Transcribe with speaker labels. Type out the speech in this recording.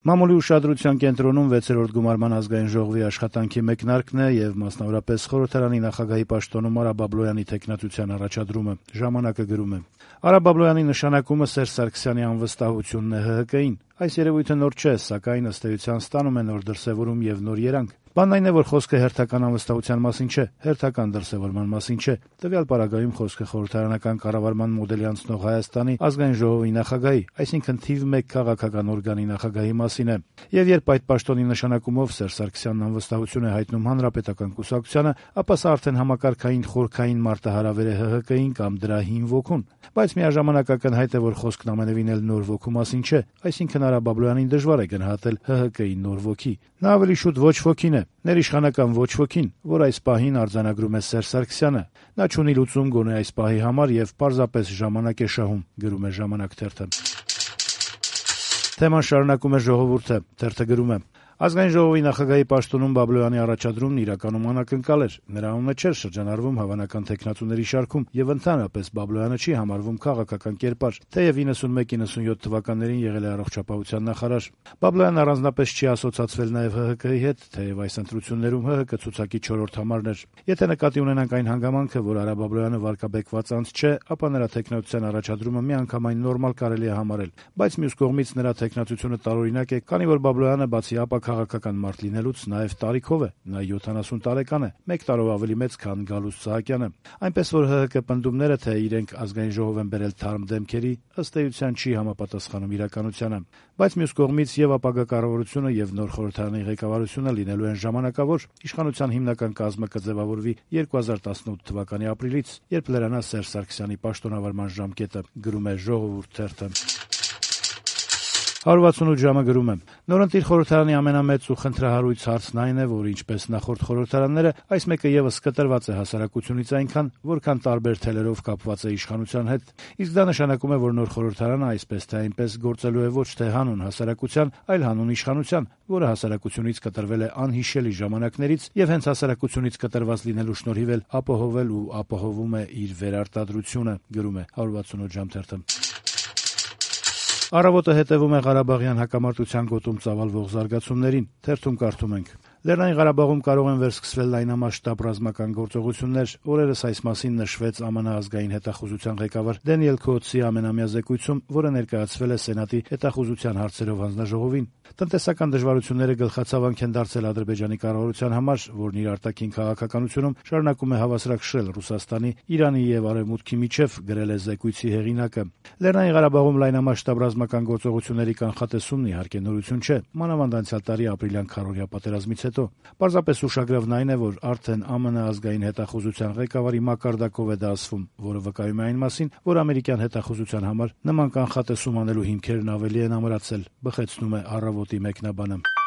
Speaker 1: Մամուլի ուշադրության կենտրոնում 6-րդ գումարման ազգային ժողովի աշխատանքի մեկնարկն է եւ մասնավորապես խորհրդարանի նախագահի պաշտոնում Արա Բաբլոյանի թեկնածության առաջադրումը։ Ժամանակը գրում է. Արա Բաբլոյանի նշանակումը Սերժ Սարգսյանի անվստահությունն է ՀՀԿ-ին։ Այս երևույթը նոր չէ, սակայն ըստ էության ստանում է նոր դրսևորում եւ նոր երանգ։ Բանն այն է, որ խոսքը հերթական անվստահության մասին չէ, հերթական դրսևորման մասին չէ։ Տվյալ պարագայում խոսքը խորհրդարանական կառավարման մոդելի անցնող Հայաստանի ազգային ժողովի նախագահի, այսինքն թիվ 1 քաղաքական օրգանի նախագահի մասին է։ Եվ երբ այդ պաշտոնի նշանակումով Սերժ Սարգսյանն անվստահություն է հայտնում հանրապետական կուսակցությանը, ապա սա արդեն համակարգային խորքային մարտահրավեր է ՀՀԿ-ին կամ դրա հին ոգուն։ Բայց միաժամանակ ակնհայտ է, որ խոսքն ամենևին էլ նոր ոգու մասին չէ, այսինքն Արա Բաբլոյանին դժվար է գնահատել ՀՀԿ-ի նոր ոգի։ Նա ավելի շուտ ոչ ոգին է, ներիշխանական ոչ ոգին, որ այս պահին արձանագրում է Սերժ Սարգսյանը։ Նա չունի լուծում գոնե այս պահի համար եւ պարզապես ժամանակ է շահում, գրում է Ժամանակ թերթը։ Թեման շարունակում է Ժողովուրդը, թերթը գրում է. Ազգային ժողովի նախագահի պաշտոնում Բաբլոյանի առաջադրումն իրականում անակնկալ էր։ Նրա անունը չէր շրջանառվում հավանական թեկնածուների շարքում եւ ընդհանրապես Բաբլոյանը չի համարվում քաղաքական կերպար, թեև 91-97 թվականներին եղել է առողջապահության նախարար։ Բաբլոյանն առանձնապես չի ասոցացվել նաեւ ՀՀԿ-ի հետ, թեև այս ընտրություններում ՀՀԿ ցուցակի 4-րդ համարն էր։ Եթե նկատի ունենանք այն հանգամանքը, որ Արա Բաբլոյանը վարկաբեկված անձ չէ, ապա նրա թեկնածության առաջադրումը միանգամայն նորմալ կարելի է համարել, բայց մյուս կողմից նրա թեկնածությունը տարօրինակ է, քանի որ Բաբլոյանը բացի քաղաքական մարդ լինելուց նաև տարիքով է, նա 70 տարեկան է, 1 տարով ավելի մեծ, քան Գալուստ Սահակյանը։ Այնպես որ ՀՀԿ պնդումները, թե իրենք ազգային ժողով են բերել թարմ դեմքերի, ըստ էության չի համապատասխանում իրականությանը։ Բայց մյուս կողմից եւ ապագա կառավարությունը եւ նոր խորհրդարանի ղեկավարությունը լինելու են ժամանակավոր, իշխանության հիմնական կազմը կձևավորվի 2018 թվականի ապրիլից, երբ լրանա Սերժ Սարգսյանի պաշտոնավարման ժամկետը, գրում է Ժողովուրդ թերթը։ 168 ժամը գրում է. Նորընտիր խորհրդարանի ամենամեծ ու խնդրահարույց հարցն այն է, որ ինչպես նախորդ խորհրդարանները, այս մեկը եւս կտրված է հասարակությունից այնքան, որքան տարբեր թելերով կապված է իշխանության հետ։ Իսկ դա նշանակում է, որ նոր խորհրդարանը այսպես թե այնպես գործելու է ոչ թե հանուն հասարակության, այլ հանուն իշխանության, որը հասարակությունից կտրվել է անհիշելի ժամանակներից եւ հենց հասարակությունից կտրված լինելու շնորհիվ էլ ապահովել ու ապահովում է իր վերարտադրությունը, գրում է 168 ժամ թերթը։ Առավոտը հետևում է Ղարաբաղյան հակամարտության գոտում ծավալվող զարգացումներին, թերթում կարդում ենք. Լեռնային Ղարաբաղում կարող են վերսկսվել լայնամասշտաբ ռազմական գործողություններ, օրերս այս մասին նշվեց ԱՄՆ ազգային հետախուզության ղեկավար Դենիել Քոթսի ամենամյա զեկույցում, որը ներկայացվել է Սենատի հետախուզության հարցերով հանձնաժողովին։ Տնտեսական դժվարությունները գլխացավանք են դարձել Ադրբեջանի կառավարության համար, որն իր արտաքին քաղաքականությունում շարունակում է հավասարակշռել Ռուսաստանի, Իրանի եւ Արևմուտքի միջև, գրել է զեկույցի հեղինակը։ Լեռնային Ղարաբաղում լայնամասշտաբ ռազմական գործողությունների կանխատեսումն իհարկե նորություն չէ, մանավանդ անցյալ տարի ապրիլյան քարոզիա պատերազմից հետո։ Պարզապես ուշագրավն այն է, որ արդեն ԱՄՆ ազգային հետախուզության ղեկավարի մակարդակով է դա ասվում, որը վկայում է այն մասին, որ ամերիկյան հետախուզության համար նման կանխատեսում անելու հիմքերն ավելի են ամրացել, բխեցնում է Առավոտի մեկնաբանը։